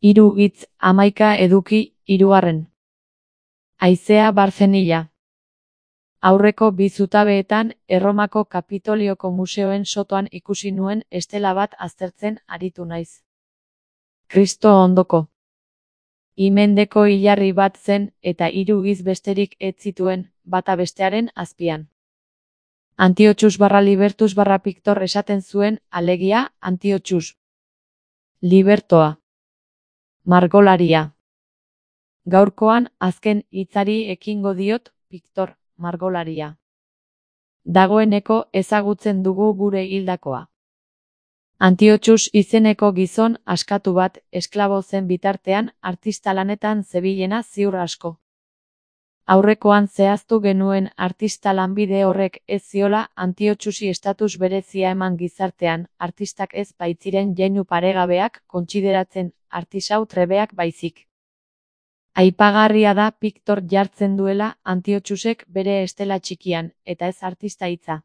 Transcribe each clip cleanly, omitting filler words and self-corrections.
Hiru hitz, 11 eduki, 3. Haizea Barzenila. Aurreko bi zutabeetan Erromako Kapitolioko museoen sotoan ikusi nuen estela bat aztertzen aritu naiz. Kristo ondoko. Imendeko hilarri bat zen eta 3 giz besterik ez zituen, bata bestearen azpian. Antiochus / Libertus / Pictor esaten zuen, alegia, Antiochus. Libertoa. Margolaria. Gaurkoan, azken hitzari ekingo diot, Pictor, margolaria. Dagoeneko ezagutzen dugu gure hildakoa. Antiochus izeneko gizon askatu bat, esklabo zen bitartean, artista lanetan zebilena ziur asko. Aurrekoan zehaztu genuen artista lanbide horrek ez ziola Antiochusi estatus berezia eman gizartean, artistak ez baitziren jeinu paregabeak kontsideratzen, artisau trebeak baizik. Aipagarria da Pictor jartzen duela Antiochusek bere estela txikian, eta ez artista hitza.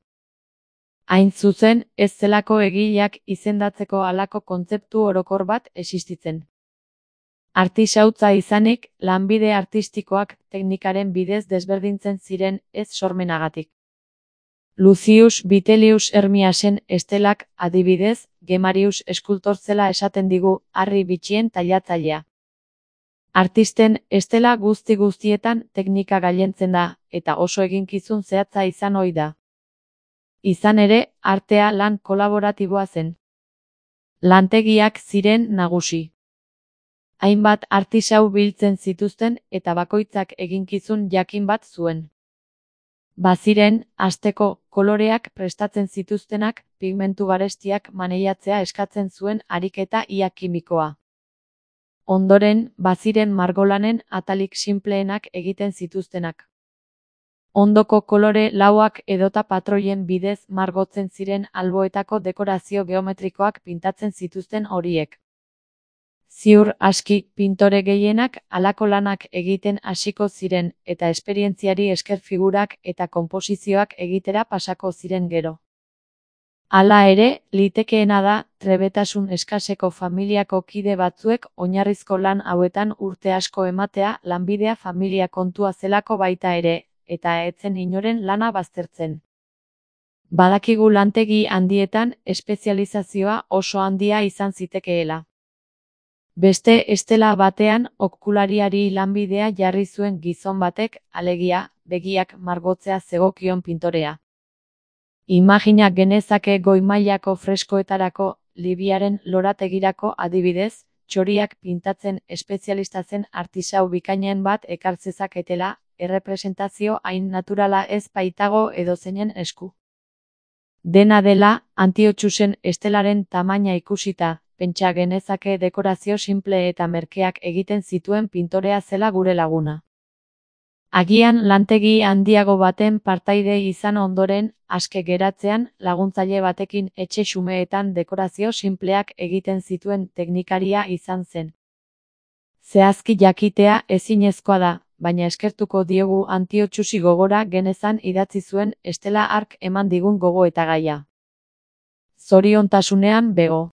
Hain zuzen, ez zelako egileak izendatzeko halako kontzeptu orokor bat existitzen. Artisautza izanik, lanbide artistikoak teknikaren bidez desberdintzen ziren ez sormenagatik. Lucius Vitellius Hermiasen estelak, adibidez, Gemarius eskultor zela esaten digu, harri bitxien tailatzailea. Artisten estela guztietan teknika gailentzen da, eta oso eginkizun zehatza izan ohi da. Izan ere, artea lan kolaboratiboa zen. Lantegiak ziren nagusi. Hainbat artisau biltzen zituzten eta bakoitzak eginkizun jakin bat zuen. Baziren, hasteko, koloreak prestatzen zituztenak, pigmentu garestiak maneiatzea eskatzen zuen ariketa ia kimikoa. Ondoren, baziren margolanen atalik sinpleenak egiten zituztenak. Ondoko kolore lauak edota patroien bidez margotzen ziren alboetako dekorazio geometrikoak pintatzen zituzten horiek. Ziur aski, pintore gehienak halako lanak egiten hasiko ziren eta esperientziari esker figurak eta konposizioak egitera pasako ziren gero. Hala ere, litekeena da, trebetasun eskaseko familiako kide batzuek oinarrizko lan hauetan urte asko ematea lanbidea familia kontua zelako baita ere, eta etzen inoren lana baztertzen. Badakigu lantegi handietan espezializazioa oso handia izan zitekeela. Beste estela batean okulariari lanbidea jarri zuen gizon batek, alegia, begiak margotzea zegokion pintorea. Imagina genezake goi mailako freskoetarako, Libiaren lorategirako adibidez, txoriak pintatzen espezialista zen artisau bikainen bat ekar zezaketela, errepresentazio hain naturala ez baitago edozeinen esku. Dena dela, Antiochusen estelaren tamaina ikusita, pentsa genezake dekorazio sinple eta merkeak egiten zituen pintorea zela gure laguna. Agian lantegi handiago baten partaide izan ondoren, aske geratzean, laguntzaile batekin etxe xumeetan dekorazio sinpleak egiten zituen teknikaria izan zen. Zehazki jakitea ezinezkoa da, baina eskertuko diogu Antiochusi gogora genezan idatzi zuen estela hark eman digun gogoetagaia. Zoriontasunean bego.